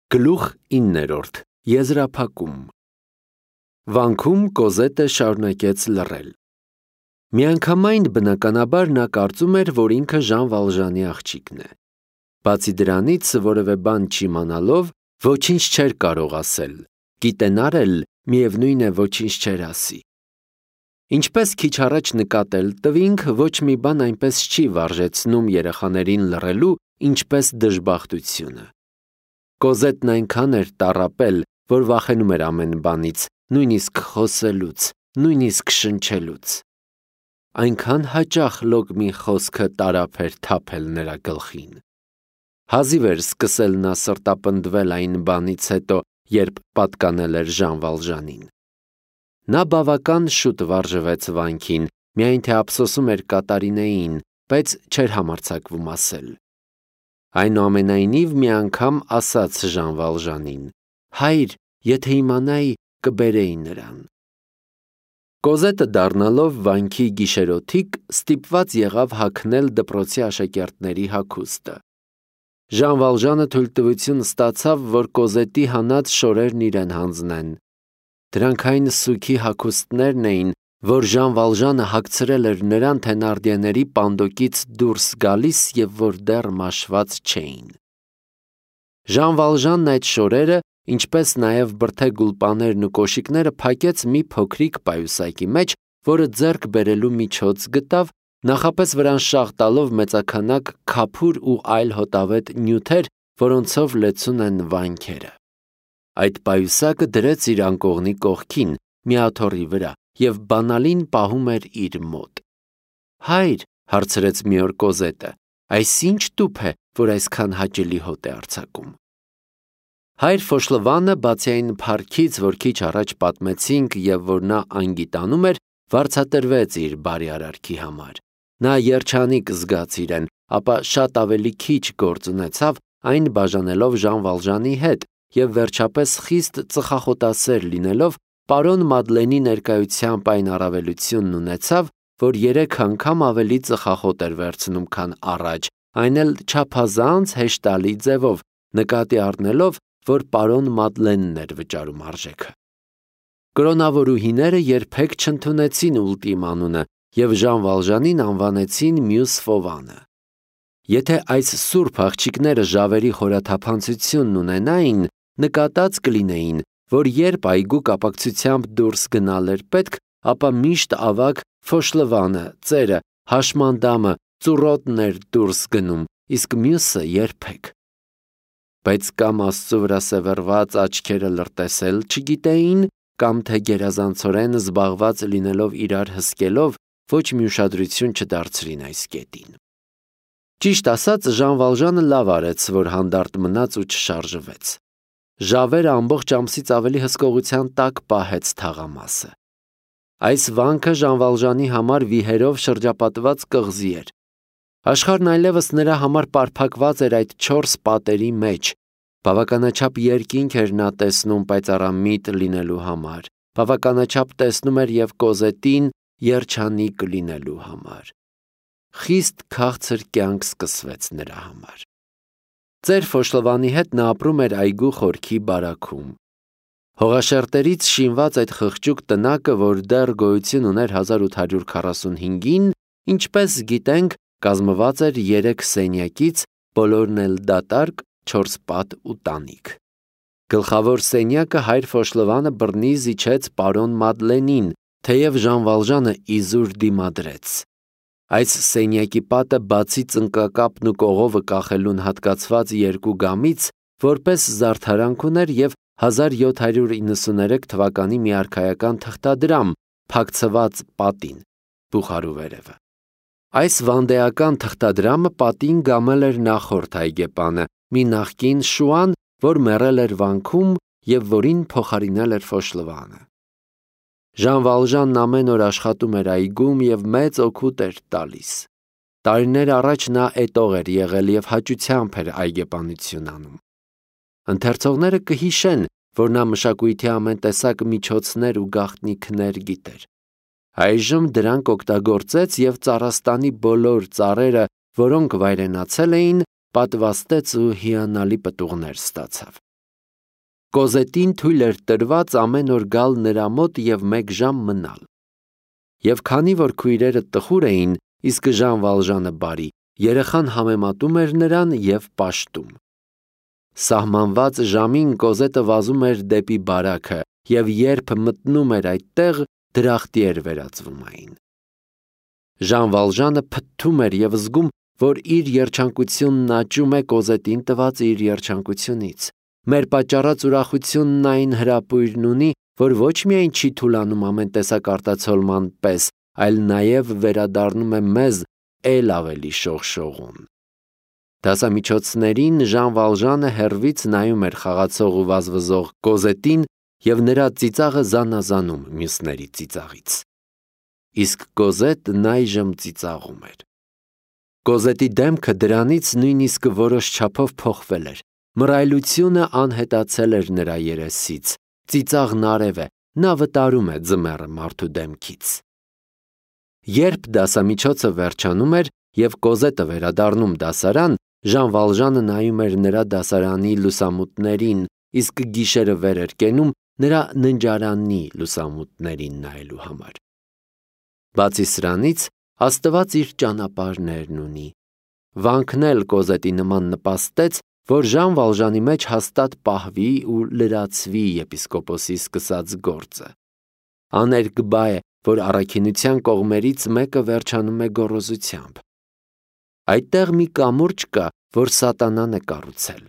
Գլուխ 9. Եզրափակում Վանքում Կոզետը շարունակեց լռել։ Միանգամայն բնականաբար նա կարծում էր, որ ինքը Ժան Վալժանի աղջիկն է։ Բացի դրանից, որևէ բան չիմանալով, ոչինչ չէր կարող ասել, գիտենար էլ միևնույն է ոչինչ չէր ասի։ Ինչպես քիչ առաջ նկատել տվինք, ոչ մի բան այնպես չի վարժեցնում երեխաներին լռելու, ինչպես դժբախտությունը։ Կոզետն այնքան էր տառապել, որ վախենում էր ամեն բանից, նույնիսկ խոսելուց, նույնիսկ շնչելուց։ Այնքան հաճախ լոկ մի խոսքը տարափ էր թափել նրա գլխին։ Հազիվ էր սկսել նա սրտապնդվել այն բանից հետո, երբ պատկանել էր Ժան Վալժանին։ Նա բավական շուտ վարժվեց վանքին, միայն թե ափսոսում էր Կատարինեին, բայց չէր համարձակվում ասել։ Այնուամենայնիվ մի անգամ ասաց Ժան Վալժանին. «Հայր, եթե իմանայի, կբերեի նրան»։ Կոզետը դառնալով վանքի գիշերօթիկ ստիպված եղավ հագնել դպրոցի աշակերտների հագուստը։ Ժան Վալժանը թույլտվություն ստացավ, որ Կոզետի հանած շորերն իրեն հանձնեն։ Դրանք այն սուգի հագուստներն էին, որ Ժան Վալժանը հագցրել էր նրան Թենարդիեների պանդոկից դուրս գալիս և որ դեռ մաշված չէին։ Ժան Վալժանն այդ շորերը, ինչպես նաև բրդե գուլպաներն ու կոշիկները փակեց մի փոքրիկ պայուսակի մեջ, որը ձեռք բերելու միջոց գտավ, նախապես վրան շաղ տալով մեծաքանակ քափուր ու այլ հոտավետ նյութեր, որոնցով լեցուն են վանքերը։ Այդ պայուսակը դրեց իր անկողնի կողքին, մի աթոռի վրա, և բանալին պահում էր իր մոտ։ «Հայր», հարցրեց մի օր Կոզետը, «այս ի՞նչ տուփ է, որ այսքան հաճելի հոտ է արձակում»։ Հայր Ֆոշլվանը, բացի այն փառքից, որ քիչ առաջ պատմեցինք և որ նա անգիտանում էր, վարձատրվեց իր բարի արարքի համար։ Նա երջանիկ զգաց իրեն, ապա շատ ավելի քիչ գործ ունեցավ, այն բաժանելով Ժան Վալժանի հետ, և վերջապես խիստ ծխախոտասեր լինելով, պարոն Մադլենի ներկայությամբ այն առավելությունն ունեցավ, որ 3 անգամ ավելի ծխախոտ էր վերցնում, քան առաջ, այն էլ չափազանց հեշտալի ձևով, նկատի առնելով, որ պարոն Մադլենն էր վճարում արժեքը։ Կրոնավորուհիները երբեք չընդունեցին Ուլտիմ անունը և Ժան Վալժանին անվանեցին Մյուս Ֆովանը։ Եթե այս սուրբ աղջիկները ժավերի խորաթափանցությունն ունենային, նկատած կլինեին, որ երբ այգու կապակցությամբ դուրս գնալ էր պետք, ապա միշտ ավագ Ֆոշլվանը, ծերը, հաշմանդամը, ծուռոտն էր դուրս գնում, իսկ մյուսը երբեք։ Բայց կամ Աստծո վրա սևեռված աչքերը լրտեսել չգիտեին, կամ թե գերազանցորեն զբաղված լինելով իրար հսկելով, ոչ մի ուշադրություն չդարձրին այս կետին։ Ճիշտ ասած, Ժան Վալժանը լավ արեց, որ հանդարտ մնաց ու չշարժվեց։ Ժավերը ամբողջ ամսից ավելի հսկողության տակ պահեց թաղամասը։ Այս վանքը Ժան Վալժանի համար վիհերով շրջապատված կղզի էր։ Աշխարհն այլևս նրա համար պարփակված էր այդ 4 պատերի մեջ։ Բավականաչափ երկինք էր նա տեսնում պայծառամիտ լինելու համար։ Բավականաչափ տեսնում էր և Կոզետին երջանիկ լինելու համար։ Խիստ քաղցր կյանք սկսվեց նրա համար։ Ծեր Ֆոշլվանի հետ նա ապրում էր այգու խորքի բարաքում։ Հողաշերտերից շինված այդ խղճուկ տնակը, որ դեռ գոյություն ուներ 1845-ին, ինչպես գիտենք, կազմված էր 3 սենյակից, բոլորն էլ դատարկ, 4 պատ ու տանիք։ Գլխավոր սենյակը հայր Ֆոշլվանը բռնի զիջեց պարոն Մադլենին, թեև Ժան Վալժանը իզուր դիմադրեց։ Այս սենյակի պատը բացի ծնկակապն ու կողովը կախելուն հատկացված 2 գամից, որպես զարդարանք ուներ և 1793 թվականի մի արքայական թղթադրամ, փակցված պատին, բուխարու վերևը։ Այս վանդեական թղթադրամը պատին գամել էր նախորդ այգեպանը, մի նախկին շուան, որ մեռել էր վանքում և որին փոխարինել էր Ֆոշլվանը։ Ժան Վալժանն ամեն օր աշխատում էր այգում և մեծ օգուտ էր տալիս։ Տարիներ առաջ նա էտող էր եղել և հաճությամբ էր այգեպանություն անում։ Ընթերցողները կհիշեն, որ նա մշակույթի ամեն տեսակ միջոցներ ու գաղտնիքներ գիտեր։ Այժմ դրանք օգտագործեց և Ծառաստանի բոլոր ծառերը, որոնք վայրենացել էին, պատվաստեց ու հիանալի պտուղներ ստացավ։ Կոզետին թույլ էր տրված ամեն օր գալ նրա մոտ և 1 ժամ մնալ։ Եվ քանի որ քույրերը տխուր էին, իսկ Ժան Վալժանը բարի, երեխան համեմատում էր նրան և պաշտում։ Սահմանված ժամին Կոզետը վազում էր դեպի բարաքը և երբ մտնում էր այդտեղ, դրախտի էր վերածվում այն։ Ժան Վալժանը փթթում էր և զգում, որ իր երջանկությունն աճում է Կոզետին տված իր երջանկությունից։ Մեր պատճառած ուրախությունն այն հրապույրն ունի, որ ոչ միայն չի թուլանում ամեն տեսակ արտացոլման պես, այլ նաև վերադառնում է մեզ էլ ավելի շողշողուն։ Դասամիջոցներին Ժան Վալժանը հեռվից նայում էր խաղացող ու վազվզող Կոզետին և նրա ծիծաղը զանազանում մյուսների ծիծաղից։ Իսկ Կոզետն այժմ ծիծաղում էր։ Կոզետի դեմքը դրանից նույնիսկ որոշ չափով փոխվել էր։ Մռայլությունը անհետացել էր նրա երեսից, ծիծաղն արև է, նա վտարում է ձմեռը մարդու դեմքից։ Երբ դասամիջոցը վերջանում էր և Կոզետը վերադառնում դասարան, Ժան Վալժանը նայում էր նրա դասարանի լուսամուտներին, իսկ գիշերը վեր էր կենում նրա ննջարանի լուսամուտներին նայելու համար։ Բացի սրանից, Աստված իր ճանապարհներն ունի։ Վանքն էլ Կոզետի նման նպաստեց, որ Ժան Վալժանի մեջ հաստատ պահվի ու լրացվի եպիսկոպոսի սկսած գործը։ Աներկբա է, որ առաքինության կողմերից մեկը վերջանում է գոռոզությամբ։ Այդտեղ մի կամուրջ կա, որ սատանան է կառուցել։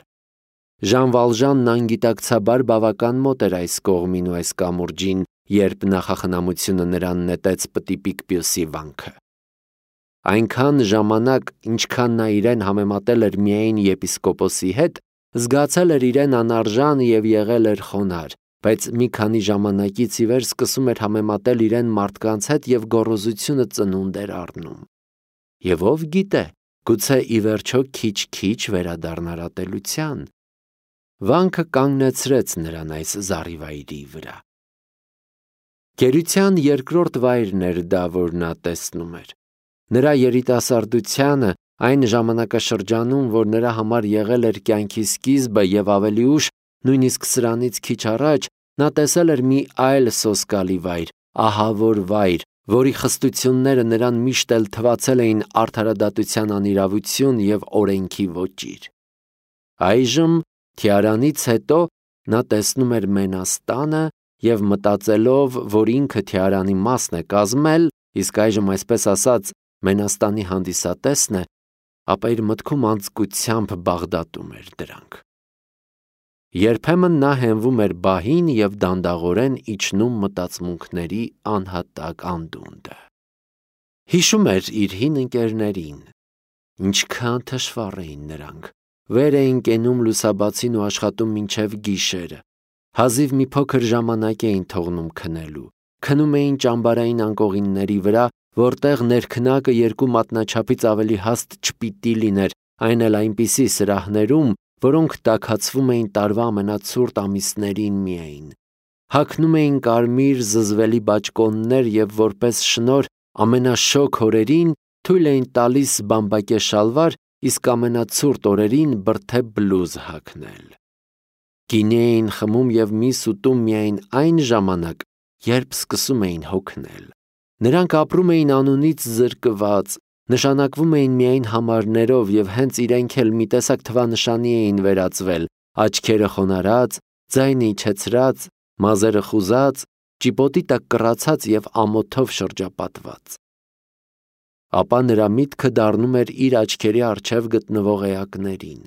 Ժան Վալժանն անգիտակցաբար բավական մոտ էր այս կողմին ու այս կամուրջին, երբ նախախնամությունը նրան նետեց պտիպիկ Պյուսի վանքը։ Այնքան ժամանակ, ինչքան նա իրեն համեմատել էր միայն եպիսկոպոսի հետ, զգացել էր իրեն անարժան և եղել էր խոնարհ, բայց մի քանի ժամանակից ի վեր սկսում էր համեմատել իրեն մարդկանց հետ և գոռոզությունը ծնունդ էր առնում։ Եվ ով գիտե, գուցե ի վերջո քիչ-քիչ վերադառնար ատելության։ Վանքը կանգնեցրեց նրան այս զառիվայրի վրա։ Գերության երկրորդ վայրն էր դա, որ նա տեսնում էր։ Նրա երիտասարդությանը, այն ժամանակաշրջանում, որ նրա համար եղել էր կյանքի սկիզբը և ավելի ուշ, նույնիսկ սրանից քիչ առաջ, նա տեսել էր մի այլ սոսկալի վայր, ահավոր վայր, որի խստությունները նրան միշտ էլ թվացել էին արդարադատության անիրավություն և օրենքի ոճիր։ Այժմ, թիարանից հետո, նա տեսնում էր Մենաստանը և մտածելով, որ ինքը թիարանի մասն է կազմել, իսկ այժմ, այսպես ասած, Մենաստանի հանդիսատեսն է, ապա իր մտքում անձկությամբ բաղդատում էր դրանք։ Երբեմն նա հենվում էր բահին և դանդաղորեն իջնում մտածմունքների անհատակ անդունդը։ Հիշում էր իր հին ընկերներին։ Ինչքան թշվառ էին նրանք։ Վեր էին կենում լուսաբացին ու աշխատում մինչև գիշերը։ Հազիվ մի փոքր ժամանակ էին թողնում քնելու։ Քնում էին ճամբարային անկողինների վրա, որտեղ ներքնակը 2 մատնաչափից ավելի հաստ չպիտի լիներ, այն էլ այնպիսի սրահներում, որոնք տաքացվում էին տարվա ամենացուրտ ամիսներին միայն։ Հագնում էին կարմիր զզվելի բաճկոններ և որպես շնորհ ամենաշոգ օրերին թույլ էին տալիս բամբակե շալվար, իսկ ամենացուրտ օրերին բրդե բլուզ հագնել։ Գինի էին խմում և միս ուտում միայն այն ժամանակ, երբ սկսում էին հոգնել։ Նրանք ապրում էին անունից զրկված, նշանակվում էին միայն համարներով և հենց իրենք էլ մի տեսակ թվանշանի էին վերածվել, աչքերը խոնարհած, ձայնը իջեցրած, մազերը խուզած, ճիպոտի տակ կռացած և ամոթով շրջապատված։ Ապա նրա միտքը դառնում էր իր աչքերի առջև գտնվող էակներին։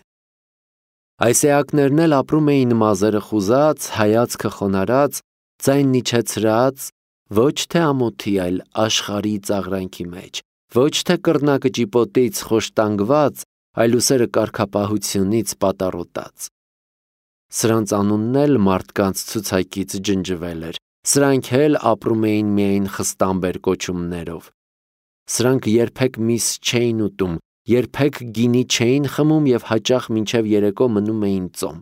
Այս էակներն էլ ապրում էին մազերը խուզած, հայացքը խոնարհած, ձայնն իջեցրած, ոչ թե ամոթի, այլ աշխարհի ծաղրանքի մեջ, ոչ թե կռնակը ճիպոտից խոշտանգված, այլ ուսերը կարգապահությունից պատառոտած։ Սրանց անունն էլ մարդկանց ցուցակից ջնջվել էր, սրանք էլ ապրում էին միայն խստամբեր կոչումներով։ Սրանք երբեք միս չէին ուտում, երբեք գինի չէին խմում և հաճախ մինչև երեկո մնում էին ծոմ։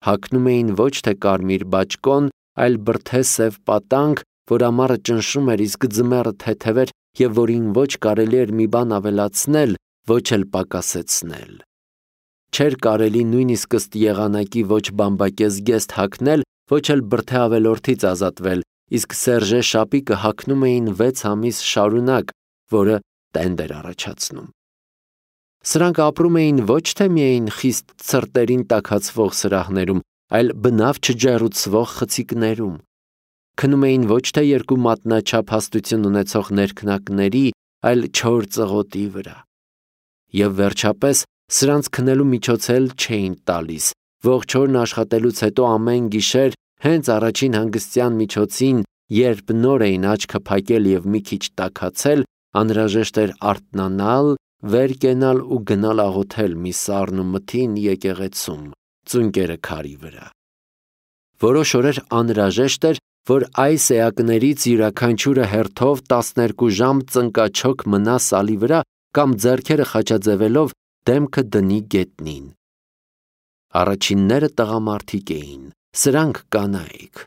Հագնում էին ոչ թե կարմիր բաճկոն, այլ բրդե սև պատանկ, որ ամառը ճնշում էր, իսկ ձմեռը թեթև էր և որին ոչ կարելի էր մի բան ավելացնել, ոչ էլ պակասեցնել։ չէր կարելի նույնիսկ ըստ եղանակի ոչ բամբակես գեստ հագնել, ոչ էլ բրդե ավելորդից ազատվել, իսկ Սերժե շապիկը հագնում էին 6 ամիս շարունակ, որը տենդ էր առաջացնում։ Սրանք ապրում էին ոչ թե միայն խիստ ցրտերին տաքացվող սրահներում, այլ բնավ չջեռուցվող խցիկներում։ Քնում էին ոչ թե երկու մատնաչափ հաստություն ունեցող ներքնակների, այլ 4 ծղոտի վրա։ Եվ վերջապես սրանց քնելու միջոց էլ չէին տալիս, ողջ օրն աշխատելուց հետո ամեն գիշեր հենց առաջին հանգստյան միջոցին, երբ նոր էին աչքը փակել եւ մի քիչ տաքացել, անհրաժեշտ էր արթնանալ, վեր կենալ ու գնալ աղոթել մի սառն ու մթին եկեղեցում, ծունկերը քարի վրա։ Որոշ օրեր անհրաժեշտ էր, որ այս էակներից յուրաքանչյուրը հերթով 12 ժամ ծնկաչոք մնա սալի վրա կամ ձեռքերը խաչաձևելով դեմքը դնի գետնին։ Առաջինները տղամարդիկ էին, սրանք կանայք։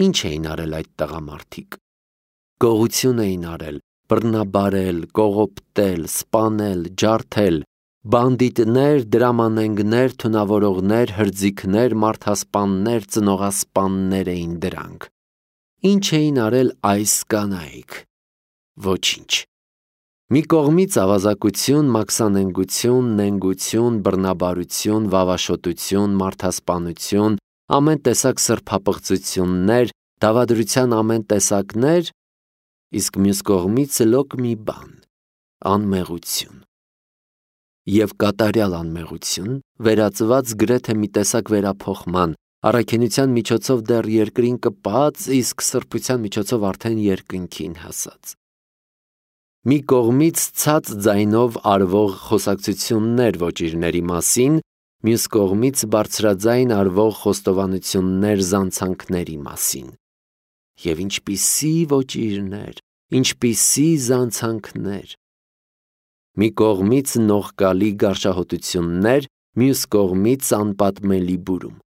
Ինչ էին արել այդ տղամարդիկ։ Գողություն էին արել, բռնաբարել, կողոպտել, սպանել, ջարդել, բանդիտներ, դրամանենգներ, թունավորողներ, հրձիքներ, մարդասպաններ, ծնողասպաններ էին դրանք։ Ինչ էին արել այս կանայք։ Ոչինչ։ Մի կողմից ավազակություն, մաքսանենգություն, նենգություն, բռնաբարություն, վավաշոտություն, մարդասպանություն, ամեն տեսակ սրբապղծություններ, դավադրության ամեն տեսակներ, իսկ մյուս կողմից լոկ մի բան՝ անմեղություն։ Եվ կատարյալ անմեղություն, վերածված գրեթե մի տեսակ վերափոխման, առաքինության միջոցով դեռ երկրին կպած, իսկ սրբության միջոցով արդեն երկնքին հասած։ Մի կողմից ցած ձայնով արվող խոսակցություններ ոճիրների մասին, մյուս կողմից բարձրաձայն արվող խոստովանություններ զանցանքների մասին։ Եվ ինչպիսի ոճիրներ, ինչպիսի զանցանքներ։ Մի կողմից նողկալի գարշահոտություններ, մյուս կողմից անպատմելի բուրում։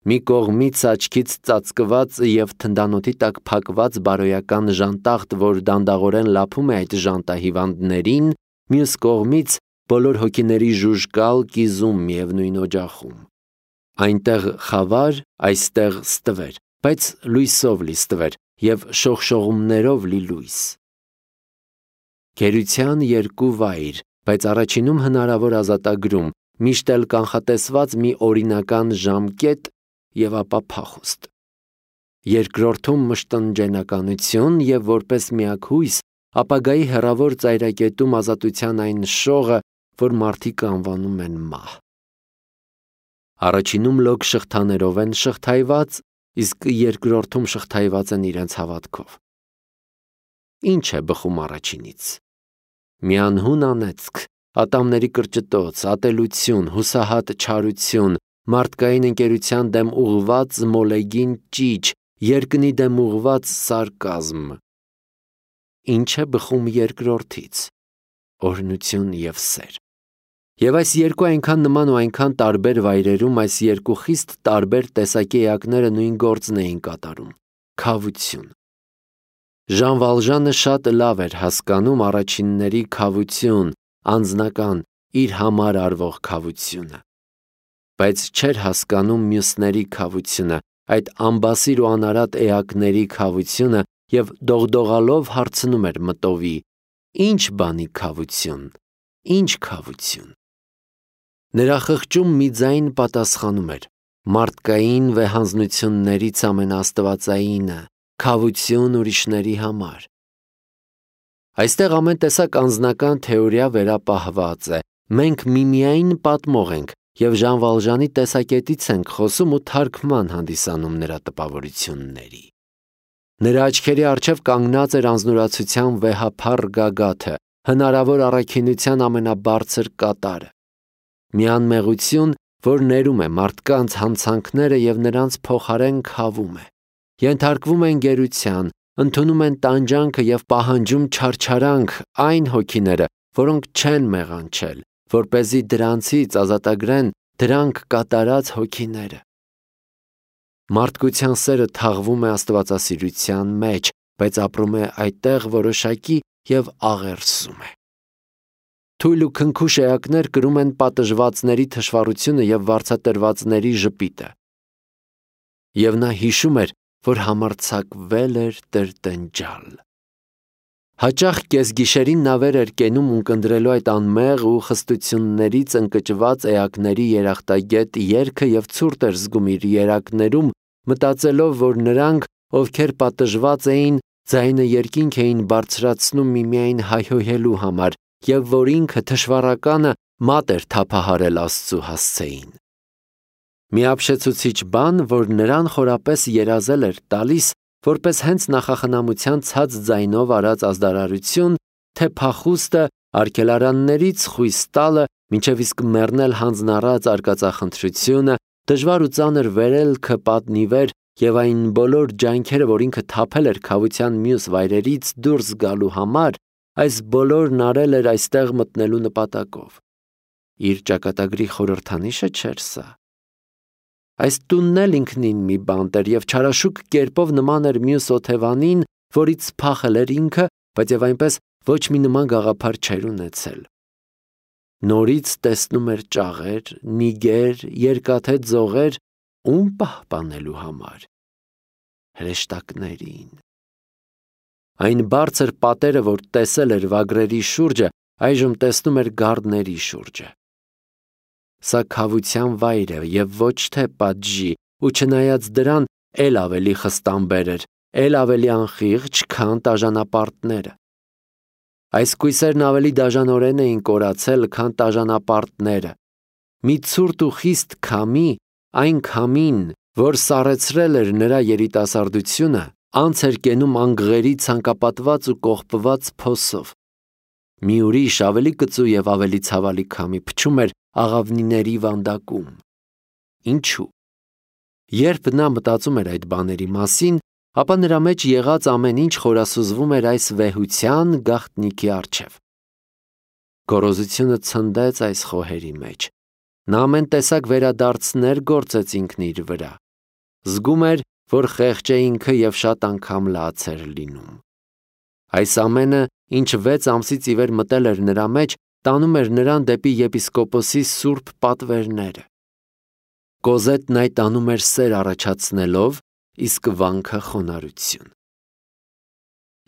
Մի կողմից աչքից ծածկված և թնդանոթի տակ փակված բարոյական ժանտախտ, որ դանդաղորեն լափում է այդ ժանտահիվանդներին, մյուս կողմից բոլոր հոգիների ժուժկալ կիզում միևնույն օջախում։ Այնտեղ խավար, այստեղ ստվեր, բայց լույսով լի ստվեր և շողշողումներով լի լույս։ Գերության երկու վայր, բայց առաջինում հնարավոր ազատագրում, միշտ էլ կանխատեսված մի օրինական ժամկետ և ապա փախուստ։ Երկրորդում մշտնջենականություն և որպես միակ հույս, ապագայի հեռավոր ծայրակետում ազատության այն շողը, որ մարդիկ անվանում են մահ։ Առաջինում լոկ շղթաներով են շղթայված, իսկ երկրորդում շղթայված են իրենց հավատքով։ Ինչ է բխում առաջինից։ Մի անհուն անեծք, ատամների կրճտոց, ատելություն, հուսահատ չարություն, մարդկային ընկերության դեմ ուղղված մոլեգին ճիչ, երկնի դեմ ուղղված սարկազմ։ Ինչ է բխում երկրորդից։ Օրհնություն և սեր։ Եվ այս երկու այնքան նման ու այնքան տարբեր վայրերում այս երկու խիստ տարբեր տեսակի էակները նույն գործն էին կատարում՝ քավություն։ Ժան Վալժանը շատ լավ էր հասկանում առաջինների քավություն, անձնական, իր համար արվող քավությունը, բայց չէր հասկանում մյուսների քավությունը, այդ ամբասիր ու անարատ էակների քավությունը և դողդողալով հարցնում էր մտովի. «Ինչ բանի քավություն, ինչ քավություն»։ Նրա խղճում մի ձայն պատասխանում էր. մարդկային վեհանձնություններից ամենաաստվածայինը, քավություն ուրիշների համար։ Այստեղ ամեն տեսակ անձնական թեորիա վերապահված է, մենք միմիայն պատմող ենք և Ժան Վալժանի տեսակետից ենք խոսում ու թարգման հանդիսանում նրա տպավորությունների։ Նրա աչքերի առջև կանգնած էր անձնուրացության վեհափառ գագաթը, հնարավոր առաքինության ամենաբարձր կատարը։ Մի անմեղություն, որ ներում է մարդկանց հանցանքները և նրանց փոխարեն քավում է։ Ենթարկվում են գերության, ընդունում են տանջանքը և պահանջում չարչարանք այն հոգիները, որոնք չեն մեղանչել, որպեսզի դրանցից ազատագրեն դրանք կատարած հոգիները։ Մարդկության սերը թաղվում է աստվածասիրության մեջ, բայց ապրում է այդտեղ որոշակի և աղերսում է։ Թույլ ու քնքուշ էակներ կրում են պատժվածների թշվառությունը եւ վարձատրվածների ժպիտը։ Եվ նա հիշում էր, որ համարձակվել էր տրտնջալ։ Հաճախ կեսգիշերին նա վեր էր կենում ունկնդրելու այդ անմեղ ու խստություններից ընկճված էակների երախտագետ երգը եւ ցուրտ էր զգում իր երակներում, մտածելով, որ նրանք, ովքեր պատժված էին, ձայնը երկինք էին բարձրացնում միմիայն հայհոյելու համար, եւ որ ինքը թշվառականը մատ էր թափահարել Աստծու հասցեին։ Մի ապշեցուցիչ բան, որ նրան խորապես երազել էր տալիս, որպես հենց նախախնամության ցած ձայնով արած ազդարարություն, թե փախուստը արգելարաններից խույս տալը, մինչև իսկ մեռնել հանձնառած արկածախնդրությունը, դժվար ու ծանր վերելքը պատնիվեր եւ այն բոլոր ջանքերը, որ ինքը թափել էր քավության մյուս վայրերից դուրս գալու համար, այս բոլորն արել էր այստեղ մտնելու նպատակով։ Իր ճակատագրի խորհրդանիշը չէր սա։ Այս տունն էլ ինքնին մի բանտ էր եւ չարաշուկ կերպով նման էր մյուս օթևանին, որից փախել էր ինքը, բայց եւ այնպես ոչ մի նման գաղափար չէր ունեցել։ Նորից տեսնում էր ճաղեր, նիգեր, երկաթե ձողեր, ում պահպանելու համար։ Հրեշտակներին։ Այն բարձր պատերը, որ տեսել էր վագրերի շուրջը, այժմ տեսնում էր գարդների շուրջը։ Սա քավության վայր է եւ ոչ թե պատժի, ու չնայած դրան էլ ավելի խստամբեր էր, էլ ավելի անխիղճ, քան տաժանապարտները։ Այս կույսերն ավելի դաժանորեն էին կորացել, քան տաժանապարտները։ Մի ցուրտ ու խիստ քամի, այն քամին, որ սառեցրել էր նրա երիտասարդությունը, անց էր կենում անգղերի ցանկապատված ու կողպված փոսով։ Մի ուրիշ ավելի կծու եւ ավելի ցավալի քամի փչում էր աղավնիների վանդակում։ Ինչու՞։ Երբ նա մտածում էր այդ բաների մասին, ապա նրա մեջ եղած ամեն ինչ խորասուզվում էր այս վեհության գաղտնիքի առջև։ Գոռոզությունը ցնդեց այս խոհերի մեջ։ Նա ամեն տեսակ վերադարձներ գործեց ինքն իր վրա։ Զգում էր, որ խեղճ է ինքը եւ շատ անգամ լաց էր լինում։ Այս ամենը, ինչ 6 ամսից ի վեր մտել էր նրա մեջ, տանում էր նրան դեպի եպիսկոպոսի սուրբ պատվերները։ Կոզետն այդ անում էր սեր առաջացնելով, իսկ վանքը խոնարհություն։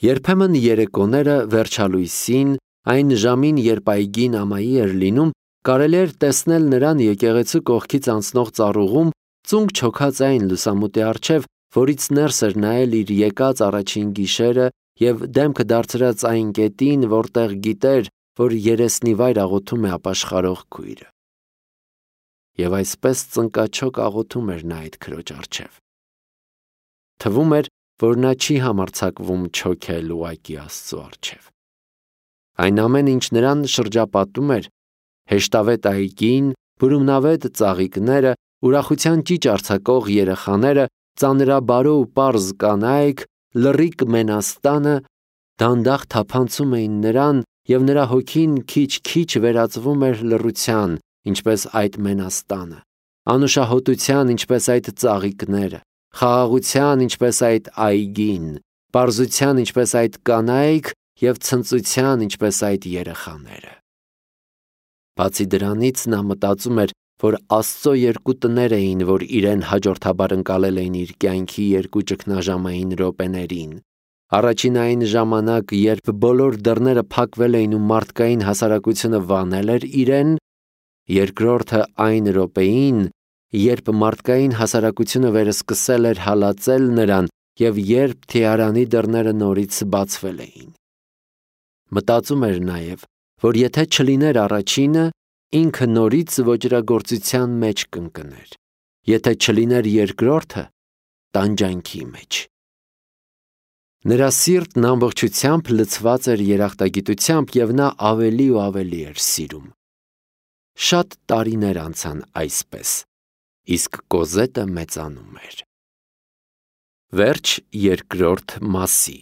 Երբեմն երեկոները վերջալույսին, այն ժամին, երբ այգին ամայի էր լինում, կարելի էր տեսնել նրան եկեղեցու կողքից անցնող ծառուղում, ծունկ չոքած այն լուսամուտի առջև, որից ներս էր նայել իր եկած առաջին գիշերը եւ դեմքը դարձրած այն կետին, որտեղ գիտեր, որ երեսնի վայր աղոթում է ապաշխարող քույրը։ Եվ այսպես ծնկաչոք աղոթում էր նա այդ քրոջ առջև։ Թվում էր, որ նա չի համարձակվում չոքել ուղակի Աստծու առջև։ Այն ամեն ինչ նրան շրջապատում էր, հեշտավետ այգին, բուրումնավետ ծաղիկները, ուրախության ճիչ արձակող երեխաները, ծանրաբարո ու պարզ կանայք, լռիկ Մենաստանը դանդաղ թափանցում էին նրան, եւ նրա հոգին քիչ-քիչ վերածվում էր լռության, ինչպես այդ Մենաստանը, անուշահոտության, ինչպես այդ ծաղիկները, խաղաղության, ինչպես այդ այգին, պարզության, ինչպես այդ կանայք եւ ցնծության, ինչպես այդ երեխաները։ Բացի դրանից նա մտածում էր, որ Աստծո երկու տներ էին, որ իրեն հաջորդաբար ընկալել էին իր կյանքի երկու ճգնաժամային րոպեներին։ Առաջին այն ժամանակ, երբ բոլոր դռները փակվել էին ու մարդկային հասարակությունը վանել էր իրեն, երկրորդը այն րոպեին, երբ մարդկային հասարակությունը վերսկսել էր հալածել նրան եւ երբ թիարանի դռները նորից բացվել էին։ Մտածում էր նաեւ, որ եթե չլիներ առաջինը, ինքը նորից ոճրագործության մեջ կընկներ, եթե չլիներ երկրորդը, տանջանքի մեջ։ Նրա սիրտն ամբողջությամբ լցված էր երախտագիտությամբ եւ նա ավելի ու ավելի էր սիրում։ Շատ տարիներ անցան այսպես, իսկ Կոզետը մեծանում էր։ Վերջ երկրորդ մասի։